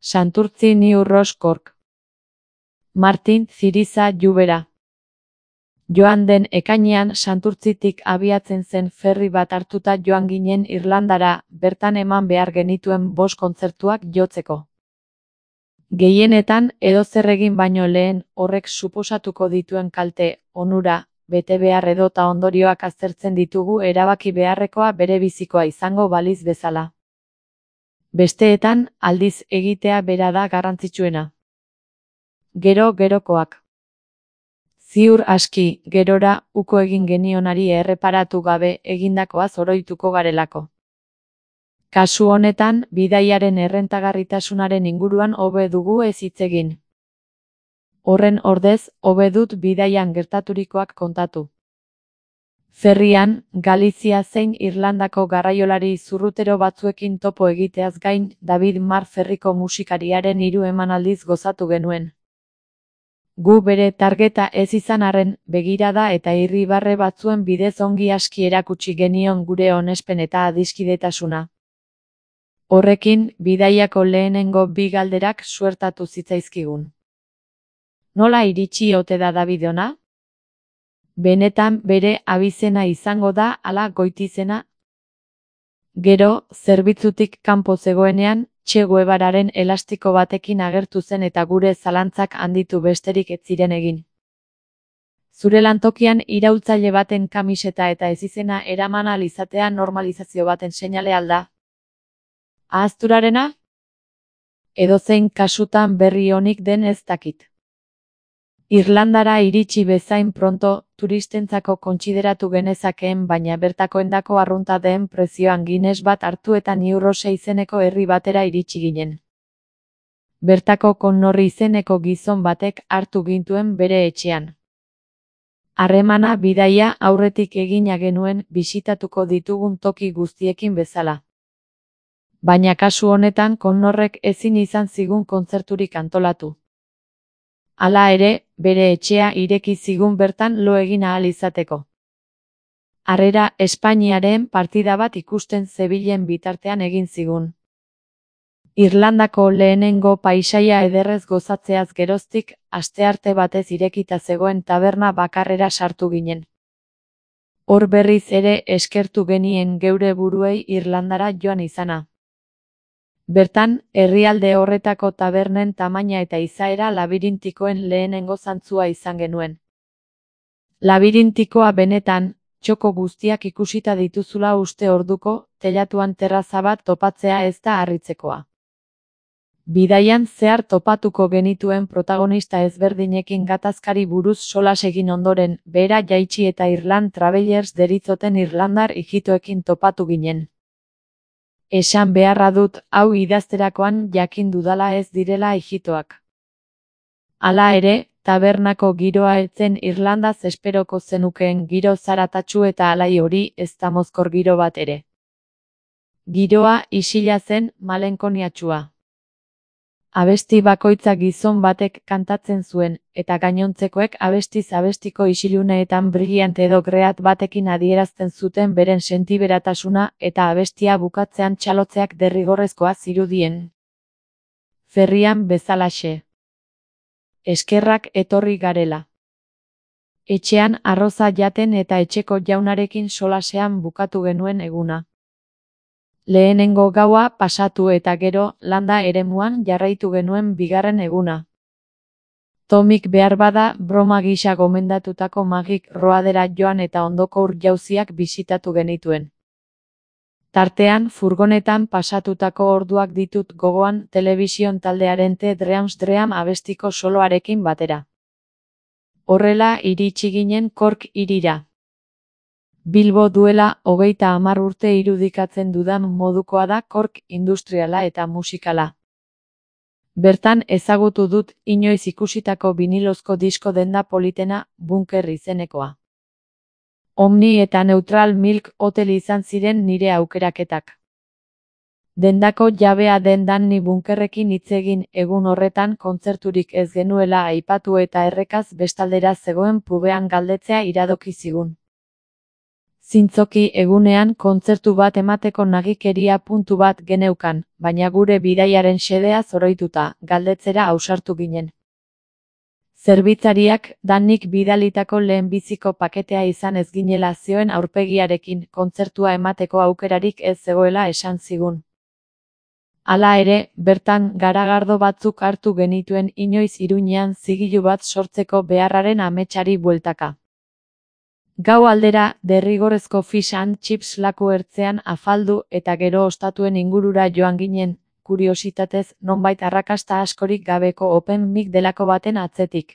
Santurtzi New Ross Cork. Martin Ziriza Llubera. Joan den ekainean Santurtzitik abiatzen zen ferry bat hartuta joan ginen Irlandara, bertan eman behar genituen 5 kontzertuak jotzeko. Gehienetan edozer egin baino lehen horrek suposatuko dituen kalte, onura, betebehar edota ondorioak aztertzen ditugu erabaki beharrekoa berebizikoa izango baliz bezala. Besteetan, aldiz egitea bera da garrantzitsuena. Gerokoak. Ziur aski, gerora, uko egin genionari erreparatu gabe egindakoaz oroituko garelako. Kasu honetan, bidaiaren errentagarritasunaren inguruan hobe dugu ez hitz egin. Horren ordez, hobe dut bidaian gertaturikoak kontatu. Ferrian, Galizia zein Irlandako garraiolari zurrutero batzuekin topo egiteaz gain, David Marr ferriko musikariaren 3 emanaldiz gozatu genuen. Gu bere targeta ez izan arren, begirada eta irribarre batzuen bidez ongi aski erakutsi genion gure onespen eta adiskidetasuna. Horrekin, bidaiako lehenengo 2 galderak suertatu zitzaizkigun. Nola iritsi ote da David ona? Benetan bere abizena izango da ala goitizena? Gero, zerbitzutik kanpo zegoenean, Che Guevararen elastiko batekin agertu zen eta gure zalantzak handitu besterik ez ziren egin. Zure lantokian iraultzaile baten kamiseta eta ezizena eraman ahal izatea normalizazio baten seinale al da? Ahazturarena? Edozein kasutan berri onik den ez dakit. Irlandara iritsi bezain pronto, turistentzako kontsideratu genezakeen baina bertakoendako arrunta den prezioan Guinness bat hartu eta New Ross izeneko herri batera iritsi ginen. Bertako Connorri izeneko gizon batek hartu gintuen bere etxean. Harremana bidaia aurretik egina genuen bisitatuko ditugun toki guztiekin bezala. Baina kasu honetan Connorrek ezin izan zigun kontzerturik antolatu. Hala ere, bere etxea ireki zigun bertan lo egin ahal izateko. Harrera Espainiaren partida bat ikusten zebilen bitartean egin zigun. Irlandako lehenengo paisaia ederrez gozatzeaz geroztik, astearte batez irekita zegoen taberna bakarrera sartu ginen. Hor berriz ere eskertu genien geure buruei Irlandara joan izana. Bertan, herrialde horretako tabernen tamaina eta izaera labirintikoen lehenengo zantzua izan genuen. Labirintikoa benetan, txoko guztiak ikusita dituzula uste orduko, teilatuan terraza bat topatzea ez da harritzekoa. Bidaian zehar topatuko genituen protagonista ezberdinekin gatazkari buruz solas egin ondoren, behera jaitsi eta Irland Travelers deritzoten irlandar ijitoekin topatu ginen. Esan beharra dut, hau idazterakoan jakin dudala ez direla ijitoak. Hala ere, tabernako giroa etzen Irlandaz esperoko zenukeen giro zaratatsu eta alai hori ez da mozkor giro bat ere. Giroa isila zen malenkoniatsua. Abesti bakoitza gizon batek kantatzen zuen, eta gainontzekoek abestiz abestiko isiluneetan brilliant edo great batekin adierazten zuten beren sentiberatasuna eta abestia bukatzean txalotzeak derrigorrezkoa zirudien. Ferrian bezalaxe. Eskerrak etorri garela. Etxean arroza jaten eta etxeko jaunarekin solasean bukatu genuen eguna. Lehenengo gaua pasatu eta gero landa eremuan jarraitu genuen 2. eguna. Tomik behar bada broma gisa gomendatutako Magic Roadera joan eta ondoko ur-jauziak bisitatu genituen. Tartean furgonetan pasatutako orduak ditut gogoan telebision taldearen The Dreams Dream abestiko soloarekin batera. Horrela iritsi ginen Cork hirira. Bilbo duela 30 urte irudikatzen dudan modukoa da Cork industriala eta musikala. Bertan ezagutu dut inoiz ikusitako vinilozko disko denda politena Bunker izenekoa. Omni eta Neutral Milk Hotel izan ziren nire aukeraketak. Dendako jabea den Danny Bunkerrekin hitz egin egun horretan kontzerturik ez genuela aipatu eta errekaz bestaldera zegoen pubean galdetzea iradoki zigun. Zintzoki egunean kontzertu bat emateko nagikeria puntu bat geneukan, baina gure bidaiaren xedea zoroituta, galdetzera ausartu ginen. Zerbitzariak Danik bidalitako lehenbiziko paketea izan ez ginela zioen aurpegiarekin kontzertua emateko aukerarik ez zegoela esan zigun. Hala ere, bertan garagardo batzuk hartu genituen inoiz Iruñean zigilu bat sortzeko beharraren ametsari bueltaka. Gau aldera, derrigorrezko fish and chips laku ertzean afaldu eta gero ostatuen ingurura joan ginen, kuriositatez nonbait arrakasta askorik gabeko open mic delako baten atzetik.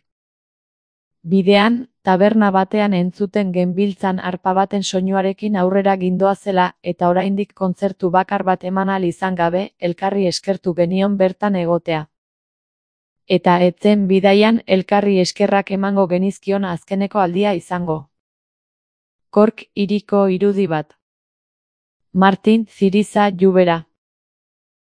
Bidean, taberna batean entzuten genbiltzan harpa baten soinuarekin aurrera gindoazela eta oraindik kontzertu bakar bat eman ahal izan gabe, elkarri eskertu genion bertan egotea. Eta etzen bidaian elkarri eskerrak emango genizkion azkeneko aldia izango. Kork hiriko irudi bat. Martin Ziriza Llubera.